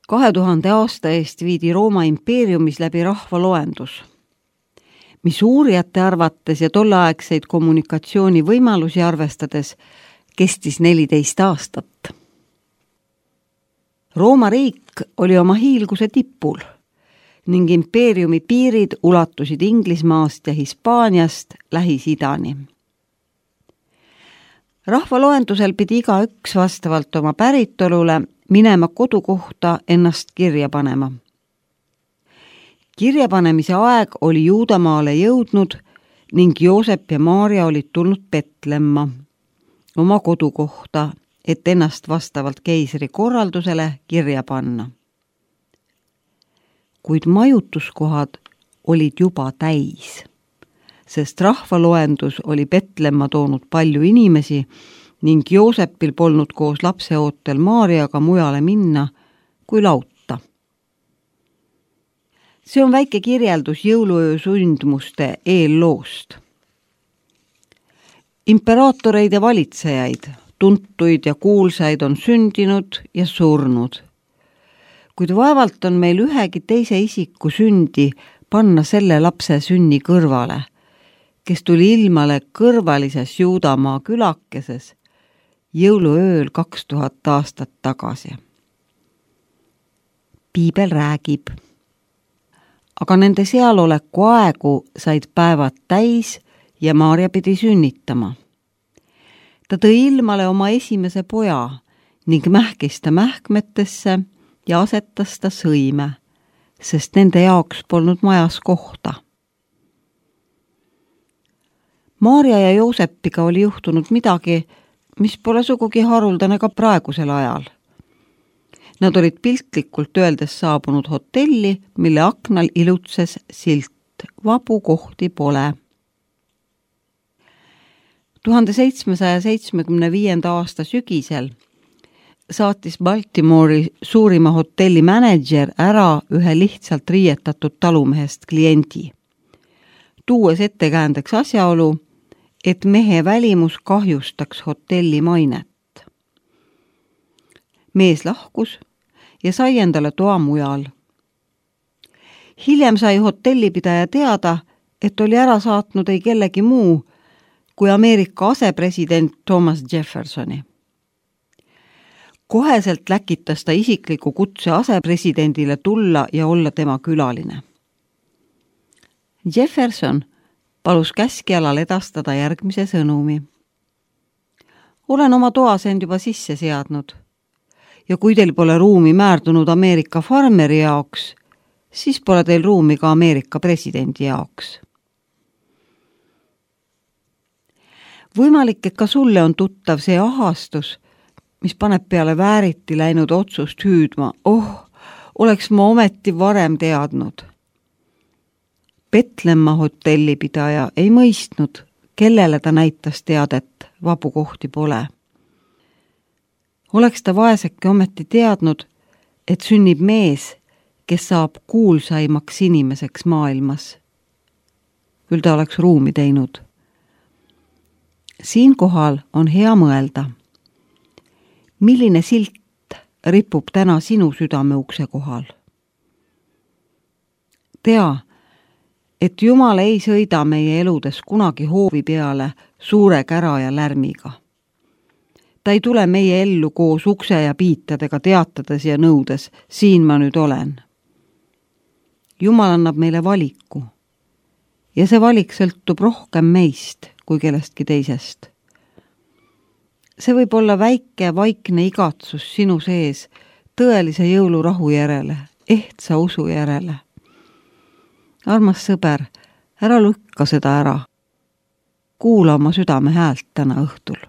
2000 aasta eest viidi Rooma impeeriumis läbi rahvaloendus, mis uurijate arvates ja tolleaegseid kommunikatsioonivõimalusi arvestades kestis 14 aastat. Rooma riik oli oma hiilguse tipul ning impeeriumi piirid ulatusid Inglismaast ja Hispaaniast Lähis-Idani. Rahvaloendusel pidi igaüks vastavalt oma päritolule minema kodukohta ennast kirja panema. Kirjapanemise aeg oli Juudamaale jõudnud ning Joosep ja Maarja olid tulnud Petlemma oma kodukohta, et ennast vastavalt keisri korraldusele kirja panna. Kuid majutuskohad olid juba täis, sest rahvaloendus oli Petlemma toonud palju inimesi ning Joosepil polnud koos lapseootel Maarjaga mujale minna kui lautta. See on väike kirjeldus jõuluöö sündmuste eelloost. Imperaatoreid ja valitsejaid, tuntuid ja kuulsaid on sündinud ja surnud. Kuid vaevalt on meil ühegi teise isiku sündi panna selle lapse sünni kõrvale, kes tuli ilmale kõrvalises Juudamaa külakeses jõuluööl 2000 aastat tagasi. Piibel räägib. Aga nende sealoleku aegu said päevad täis ja Maarja pidi sünnitama. Ta tõi ilmale oma esimese poja ning mähkis ta mähkmetesse ja asetas ta sõime, sest nende jaoks polnud majas kohta. Maarja ja Joosepiga oli juhtunud midagi, mis pole sugugi haruldane ka praegusel ajal. Nad olid piltlikult öeldes saabunud hotelli, mille aknal ilutses silt "Vabu kohti pole". 1775. aasta sügisel saatis Baltimore'i suurima hotelli mänedžer ära ühe lihtsalt riietatud talumehest kliendi, tuues ettekäändeks asjaolu, et mehe välimus kahjustaks hotelli mainet. Mees lahkus ja sai endale toa mujal. Hiljem sai hotellipidaja teada, et oli ära saatnud ei kellegi muu kui Ameerika asepresident Thomas Jeffersoni. Koheselt läkitas ta isikliku kutse asepresidendile tulla ja olla tema külaline. Jefferson palus käskjalal edastada järgmise sõnumi. Olen oma toas end juba sisse seadnud ja kui teil pole ruumi määrdunud Ameerika farmeri jaoks, siis pole teil ruumi ka Ameerika presidendi jaoks. Võimalik, et ka sulle on tuttav see ahastus, mis paneb peale vääriti läinud otsust hüüdma. Oleks ma ometi varem teadnud. Petlemma hotellipidaja ei mõistnud, kellele ta näitas teadet, vabu kohti pole. Oleks ta vaeseke ometi teadnud, et sünnib mees, kes saab kuulsaimaks inimeseks maailmas. Küll ta oleks ruumi teinud. Siinkohal on hea mõelda. Milline silt ripub täna sinu südame ukse kohal? Tea, et Jumal ei sõida meie eludes kunagi hoovi peale suure kära ja lärmiga. Ta ei tule meie ellu koos ukse ja piitadega teatades ja nõudes, siin ma nüüd olen. Jumal annab meile valiku ja see valik sõltub rohkem meist kui kellestki teisest. See võib olla väike vaikne igatsus sinu sees tõelise jõulurahu järele, ehtsa usu järele. Armas sõber, ära lükka seda ära. Kuula oma südame häält täna õhtul.